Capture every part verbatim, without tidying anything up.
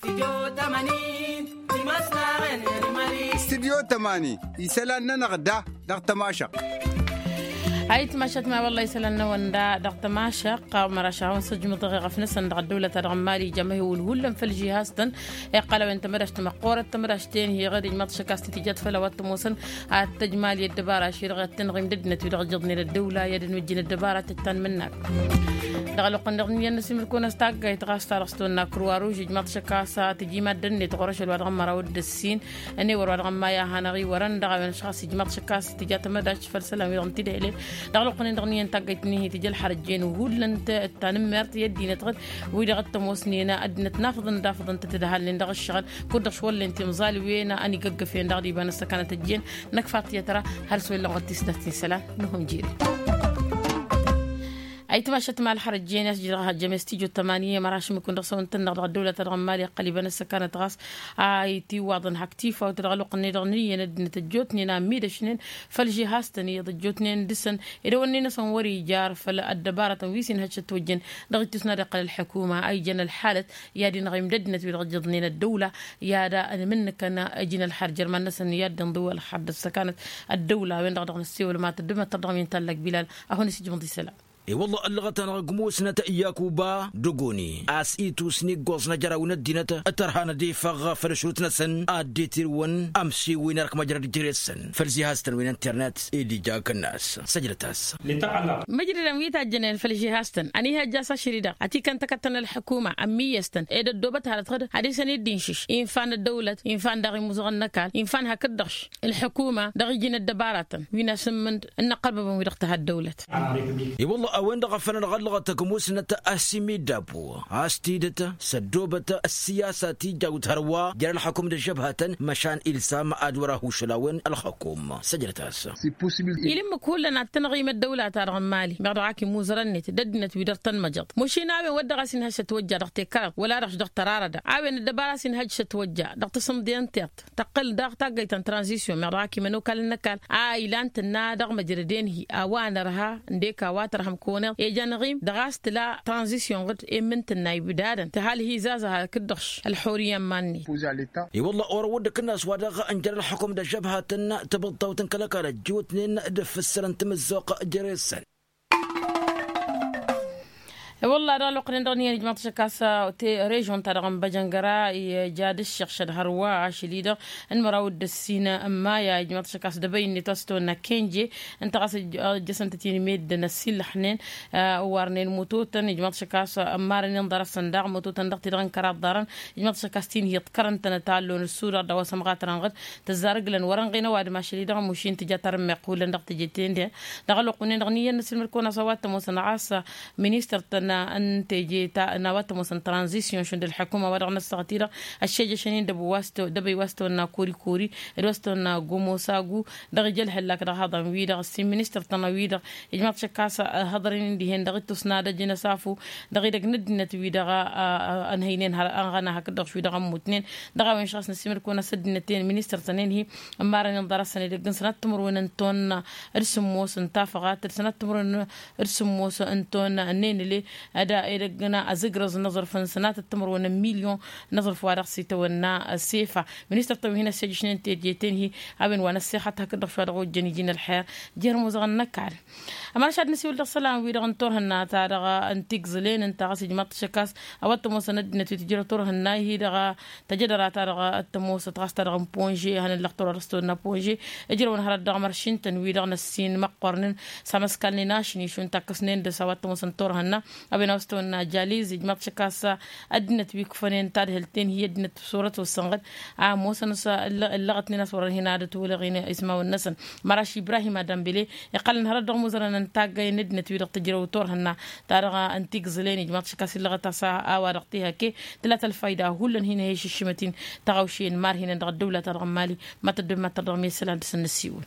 Stidyo tămani isălan-nănăɣ da dăɣ-tămašăɣt. Ayǝtmašat ma wălla isălan-năwăn da dăɣ-tămašăɣt. Ɣ-măraš a-wen săjmǝḍăɣ i-ɣăf-năsăn dăɣ-ăddăwlăt-a-dăɣ n-mali ijămăhewǝl hullan făll-žihastăn. Iqqăl a-wen tămădaš tămăqqoorăt tămădaš-ten hi-iɣăd ijmaḍ šăkkas ti tǝjjat făll-a-wa t-ămoosăn ad-tăjmal i-ăddăbara ašăl dăɣ-i ad-tăn-ăɣim d-ăddinăt wi-dăɣ ǝjjăḍnen ăddăwla i-ad-ănmǝjjǝn ăddăbara tăttan mǝnnak. Dăɣ-ălwăqq-nin-dăɣ n-iyyăn n-asǝmǝl-kăwăn a-s taggayt ɣas ta dăɣ-s tăwănna kruwa ruž ijmaḍ šăkkas tǝji maddăn-net ɣur-ašăl wa dăɣ-măraw d-ăssin. Ănewăr wa dăɣ-ămma i-ad-hanăɣ-iwărăn dăɣ-a-wen ăšɣas ijmaḍ šăkkas tǝja tămădaš făll-isălan wi dăɣ-n tidăhăle. Dăɣ-ălwăqq-nin-dăɣ n-iyyăn taggayt-nin hi-tǝja ălxărăt jen hullan tanǝmmert i-ăddinăt ɣǝd wi-dăɣ t-ămoosnen ăddinăt n-afăḍăn d-afăḍăn tăt-dd-halnen dăɣ-ăššăɣǝl. Kud-dăɣ šwăllen timẓal wen a ănigăggăfen dăɣ-dd-iba n-ăssăkanăt ăjjeen năkfa tiyyăt ra. Har s-wălla n-wăr tisnat n-isălan n-ihum jire. Ayǝtmašat ma ălxărăt jen i-a-s jidăɣ hajjăm i-s tijot tămani i-măraš mǝkun dăɣ-săwăn-tăn-dăɣ dăɣ-ăddăwlăt-a-dăɣ n-mali iqqăl iba n-ăssăkanăt ɣas a itiwaḍăn hak tifawt dăɣ-ălwăqq-net-dăɣ n-iyyăn ăddinăt ăjjootnen a ămmidăšnen făll-žihastăn iyyăḍ ăjjootnen dăɣ-săn. Ed ăwănne-năsăn wăr-ijar făll-ăddăbaratăn wi s-inhăj s-ătwăjjăn dăɣ-ittus n-ad-iqqăl ălḥukuma a ijăn ălxalăt i-ad-inɣim d-ăddinăt wi-dăɣ ǝjjăḍnen ăddăwla. I-ad-ănmǝnnǝkăn ǝjǝn ălxar jer-iman-năsăn i-ad-dd-inḍǝw ălxar d-ăssăkanăt ăddăwla a-wen-dăɣ dăɣ-năssewăl ma tăddumăttăr dăɣ-mi n-tallag bilal. A hon-isǝjmǝḍ isălan. I-wălla ăllăɣăt-anăɣ ăgg musnăt iyakuba d-ogoni a-s itus n-iggoẓ n-ajăraw n-ăddinăt tărha n-ad-ifăɣ făll-ašrut-năsăn ad-dd-itirǝwăn amsiwǝy n-erk măjrăd jere-săn făll-zihaztăn wi n-internet. Ed ija akănnas săjdăt-as. Măjdădăn wi tajjănen făll-žihaztăn ănihăjja a-s ašăl-i-dăɣ ătikăn tăkăttăn ălḥukuma ămmiyyăstăn ed ăddoobăt hărăt ɣǝd ad-isăn-dd-inšǝš infa n-ăddăwlăt infa n-daɣ imuzăɣăn n-ăkall infa n-hakd-dăɣš. Ălḥukuma dăɣ-iji n-ăddăbaratăn wi n-asǝmmǝnd n-inăqqărbăbăn wi-dăɣ tǝha ăddăwlăt. I-wălla a-wen-dăɣ a făl ănɣăllăɣăt ăgg musnăt a-s imiddabu a-s tidǝt s-ăddoobăt ăssiyasa ti jawt hărwa jer-ălxăkum d-ăžžăbhatăn măšan ilsam ad-wăr-ahušăl a-wen ălxăkum. Săjdăt-as. Ila ǝmmǝk hullan ad-tăn-ăɣim ăddăwla-ta-dăɣ n-mali meɣ dăɣ-ak imuzărăn-net d-ăddinăt wi dăr-tăn-măjăḍ mušin a-wen wăr dăɣ-a-s inhăj s-ătwăjja dăɣ-tekăraḍ wăla dăɣ-s dăɣ-tărarăda a-wen ăddăbara a-s inhăj s-ătwăjja dăɣ-tasǝmḍe n-tiṭṭ. Tăqqǝl daɣ taggăyt ta n-tranzisyon meɣ dăɣ-ak imănokal n-ăkall a ilan tǝnna dăɣ-măjrăden-hi a-wa nărha ǝndek a-wa tărhăm kăwăneḍ ejăn ăɣim dăɣ-a-s tǝla tranzisyon ɣǝd emmǝn tǝnna ibdadăn tǝhal hi-zazăha kǝddăɣš ălxurǝyya n-iman-net. I-wălla orăw dd-ăkǝnnas wa dăɣ-ǝnjăr ălxukǝm d-ăžžăbhatăn tibǝḍtawt n-kăl-ăkall ăjjootnen d-afǝssărăn timǝzzuɣt jere-săn. I-wălla dăɣ-ălwăqq-nin-dăɣ n-iyyăn ijmaḍ-t ašăk a-s režion-ta-dăɣ n-băjăngăra ija d-ǝššăɣšăd hărwa ašăl-i-dăɣ n-măraw d-ǝssin n-maya ijmaḍ-t ašăk a-s dăbăy-net wa s-tăwănna kenje ǝnta ɣas ǝjjăsăn-tăt-in meddǝn ăssiillăxnen. Ǝwwarnen mutotăn ijmaḍ-t ašăk a-s ămmarăn inḍarăsăn daɣ mutotăn dăɣ-ti-dăɣ n-kăraḍ ḍarăn. Ijmaḍ-t ašăk a-s tinhi ǝḍkărăn-tănăt a ăllon ǝssu daɣ d-a-wa s-ămɣatărăn ɣǝd tǝzzar ǝglăn wăr-ănɣen ăwadǝm ašăl-i-dăɣ ămušin tǝja tarǝmmeɣt hullan dăɣ-teje-ten-dăɣ. Dăɣ-ălwăqq-wi-nen-dăɣ n-iyyăn n-asǝlmǝd-kăwăn a-s a-wa t-ămoosăn ɣas ministăr-tăn n-teje ta n-a-wa t-ămoosăn tranzisyon šund ălḥukuma wa dăɣ-năssăɣăt-i-dăɣ ăššejăšăn-in dăbăy wa s-tăwănna kori-kori d-wa s-tăwănna gomosagu. Dăɣ-ija ălhăllak dăɣ-ihăḍan-wi-dăɣ ǝssin ministăr-tăn a-wi-dăɣ ijmaḍ-t ašăk a-s hăḍrăn-in dihen dăɣ-ittus n-ad-ăjǝn ăsafu dăɣ-idăgg n-ăddinăt-wi-dăɣ ănhăynen har ănɣăna hakd-dăɣ šwi-dăɣ ămmutnen. Dăɣ-a-wen šăɣ-s năssiimăd-kăwăn a-s ăddinăt-en ministăr-tăn-en-hi ămmarăn inḍarăsăn edăgg n-sănat timǝrwen n-tonna d-sǝmmos n-tafăɣat d-sănat timǝrwen d-sǝmmos n-tonna n-enle. Ăda edăgg n-azǝgrăẓ n-aẓrǝf n-sănatăt timǝrwen n-milyon n-aẓrǝf wa dăɣ-s itawănna sefa. Ministăr-tăn wi hin-ăssejăšnen teje-ten-hi a-wen wa n-ăssexăt hakd-dăɣ šwa dăɣ-ojjăn iji n-ălxer jer-imuzăɣăn n-ăkall. Ămăra šad nǝsiwǝl dăɣ-isălan-wi-dăɣ n-turhǝnna ta dăɣ-n tigẓǝlen ǝnta ɣas ijmaḍ-t ašăk a-s a-wa t-ămoosăn ăddinăt wi tǝjrăw turhǝnna-hi-dăɣ tăjădăra ta dăɣ-t-ămoosăt ɣas ta dăɣ-n ponže hanăllăɣ turăr s-tăwănna ponže. Ǝjrăwăn hărăt dăɣ-măršin-tăn wi-dăɣ n-ăssin măqqornen s-amăskalnen ašni šund takkăsnen dăɣ-s a-wa t-ămoosăn turhǝnna. A-wen a-wa s-tăwănna jaliz ijmaḍ-t ašăk a-s ăddinăt wi ǝkfănen tadhǝlt-en hi-ăddinăt s-orăt osănɣăd a ămoosăn a-s ǝllăɣătnen a-s wăr-ănhǝn ad-ătwălăɣen ismawăn-năsăn. Măraš ibrahim adămbele iqqălăn hărăt dăɣ-imuzărăn n-taggay n-ăddinăt wi-dăɣ tǝjrăw turhǝnna ta dăɣ-n tigẓǝlen ijmaḍ-t ašăk a-s ǝllăɣăt a-s a-wa dăɣ-t-iha ke tǝla-t ălfayda hullan hin-ăhăy šǝššǝmăt-in. Tăɣawše n-imarhinăn dăɣ-ăddăwla ta dăɣ-n mali ma tăddobem ad-tărdăɣ mi-isălan dăɣ-săn n-ăssiwǝl.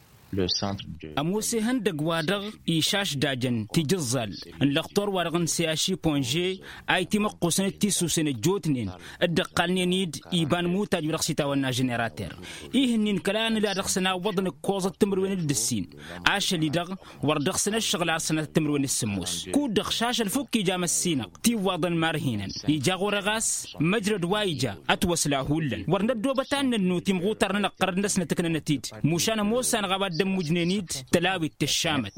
Ămoos ihăndăgg-wa-dăɣ išašdajăn tijǝẓẓal n-lăxtor-wa-dăɣ n-seaši ponže a itimăqqusăn d-tisusen ăjjootnen dd-ăqqalnen-dd iba n-imutaj-wi-dăɣ s-itawănna ženerater. Ih'-ǝnnin kăla nǝla dăɣ-săn a ǝwwăḍăn ǝkkoẓăt timǝrwen d-ǝssin ašăl-i-dăɣ wăr dăɣ-săn ǝššăɣǝl ar sănatăt timǝrwen d-sǝmmos kud-dăɣ šašăl fukk ija măssinăɣ tiwwaḍăn marhinăn. Ija ɣur-e ɣas măjrăd wa ija ătwăsla hullan wăr năddoobăt ad-nănnu timɣutar-nănăɣ ɣărăd-năsnăt ǝknănăt-dd. Mušan ămoos anăɣ a-wa dd-ămmujnen-dd tălawit tǝššamăt.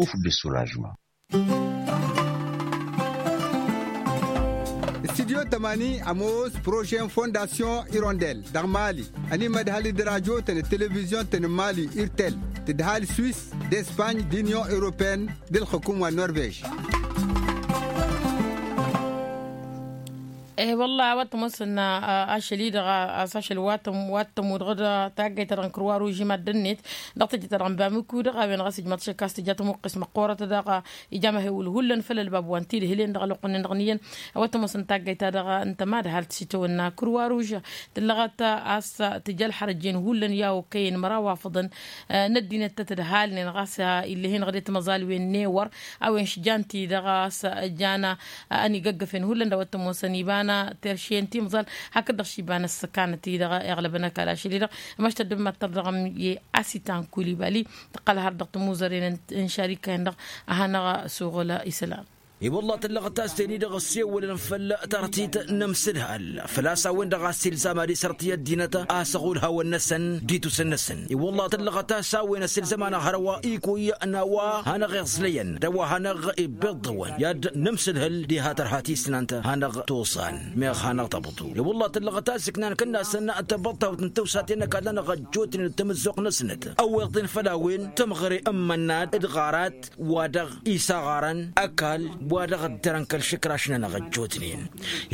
Studyo tămani ămoos prožen fondasyon irondel dăɣ-mali. Ănimădhal d-rajo-tăn d-televizyon-tăn n-mali irtel tǝdhal swis d-espany d-inyon europeyăn d-ǝlxǝkum wa n-norvež. E-wălla a-wa t-ămoosăn ašăl-i-dăɣ a-s ašăl wa t-ămud ɣǝd taggayt-ta-dăɣ n-kărwa ruži mad-ănnet dăɣ-tejăt-ta-dăɣ n-bamǝku dăɣ-a-wen ɣas ijmaḍ šăkkas tǝja tămuqqes măqqoorăt daɣ ija amăhewǝl hullan făll-ălbab wa n-tidhǝlen dăɣ-ălwăqq-nin-dăɣ n-iyyăn. A-wa t-ămoosăn taggayt-ta-dăɣ n-tămadhalt s-itawănna kărwa ruži tǝllăɣăt a-s tǝja ălxărăjjen hullan i-a okăyăn măraw afăḍăn n-ăddinăt tăt-ǝdhalnen ɣas ill'-e-hin ɣǝdet măẓalwen n-ewăr a-wen šjan-ti-dăɣ a-s jan ănigăggăfen hullan d-a-wa t-ămoosăn iba n-terše n-timẓal hakd-dăɣ š-iba n-ăssăkanăt-i-dăɣ iɣlăbăn ăkall ašăl-i-dăɣ. Măšta dd-mad-tărdăɣăm i-asitan kulibali tǝqqăl har dăɣ-tămuzăren n-šarika-en-dăɣ a hanăɣ-suɣǝl isălan. I-wălla tǝllăɣăt a-s ten-i-dăɣ ăssewălăn făll-tartit n-amsǝdhal făl-a-s a-wen-dăɣ a-s ilzam ad-isărăt i-ăddinăt a-s ăɣulhawăn-năsăn d-itusen-năsăn. I-wălla tǝllăɣăt a-s a-wen ăsilzăm-anăɣ hărwa ikuy n-a-wa hanăɣ-iẓlăyăn d-a-wa hanăɣ-ibbiḍḍǝwăn i-ad-nǝmsǝdhǝl diha tărha tisnant hanăɣ-tosan meɣ hanăɣ-tăbḍu. I-wălla tǝllăɣăt a-s ǝknan kănnasăn tăbăḍtawt n-tawsaten n-ăkall-anăɣ ăjjootnen d-tamǝzzuɣt-năsnăt ăwweḍ-in făll-a-wen tămɣăre n-imănnad d-ɣarat wa dăɣ-isaɣarăn ăkall wa dăɣ-ăddărăn kăl-išǝkraš-nănăɣ ăjjootnen.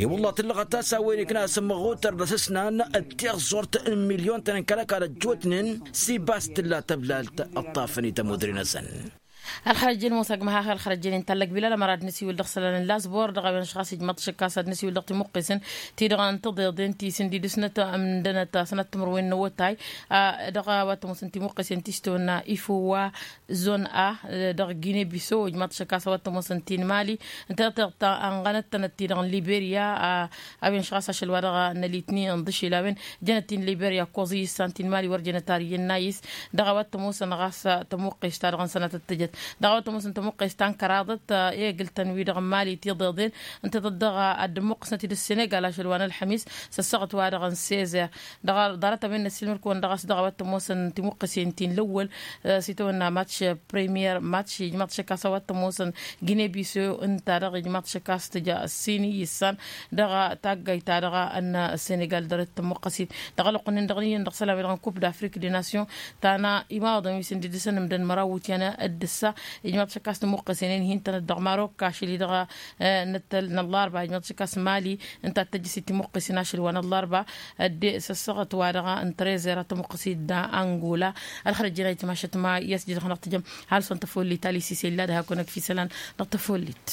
I-wălla tǝllăɣăt a-s a-wen ikna asǝmmăɣutăr d-asǝsnan d-tiẓẓurt n-milyon-tăn n-kăl-ăkall ăjjootnen s-ibas tǝlla tăblalt ǝṭṭafăn i-tămudre-năsăn. Ălxărăjjen musăgg măhax ălxărăjjen intallăg bilal ămăra d-nǝsiwǝl dăɣ-isălan n-lasbor dăɣ-a-wen ăšɣas ijmăḍ tišǝkkas ad-nǝsiwǝl dăɣ-timuqqesen ti-dăɣ n-tiḍeḍen ti s-ǝndidǝsnăt ămdănăt sănat timǝrwen n-awătay. Dăɣ-a-wa t-ămoosăn timuqqesen ti s-tawănna ifowa zon a dăɣ-gine biso ijmaḍ tišăkkas a-wa t-ămoosăn ti n-mali ǝnta tiɣt anɣănăt-tănăt ti-dăɣ n-liberya. A-wen ăšɣas ašăl wa dăɣ-nălitni ǝnḍǝšel a-wen jănăt ti n-liberya ǝkkoẓ i-issan ti n-mali wăr jănăt ar iyyăn n-ayǝs. Dăɣ-a-wa t-ămoosăn ɣas tămuqqest-ta-dăɣ n-sănatăt tǝjăt dăɣ-a-wa t-ămoosăn tămuqqest ta n-kăraḍăt i-egǝl-tăn wi-dăɣ n-mali tiḍeḍen ǝnta tăt-dăɣ ad-dd-ămmuqqǝsnăt-dd ăssenegal ašăl wa n-ălxămis s-ăssaɣăt wa dăɣ-n sezer. Dăɣ-ḍarăt a-wen n-ăssiilmăd-kăwăn dăɣ-a-s dăɣ-a-wa t-ămoosăn timuqqǝsen ti n-lăwwăl s-itawănna matš premier matš ijmaḍ tišăkkas a-wa t-ămoosăn gine biso ǝnta-dăɣ ijmaḍ tišăkkas tǝja ăssin i-issan dăɣ-taggayt-ta-dăɣ n-senegal dăr-dd tămmuqqăsit. Dăɣ-ălwăqq-nin-dăɣ n-iyyăn dăɣ-isălan-wi-dăɣ n-kup d-afrik de nasyon ta n-imawaḍăn wi s-ǝndǝdǝsăn ǝmdăn măraw iwǝtyan d-ǝssa ijmaḍ tišăkkas tămmuqqăsen i-inhi ǝntănăt dăɣ-marok ašăl-i-dăɣ n-ăllarba ijmaḍ tišăkkas mali ǝnta ad-tăjjăsit timuqqăsen ašăl wa n-ăllarba. Ădde s-ăssaɣăt wa dăɣ-n trezer ad-tămuqqăsit d-angola. Ălxărăjjăn a itmašăt ma i-ad-s jădăɣ-năɣ tǝjăm halsăn tăfollit alisise illa d-hakk-onăk fi isălan dăɣ-tăfollit.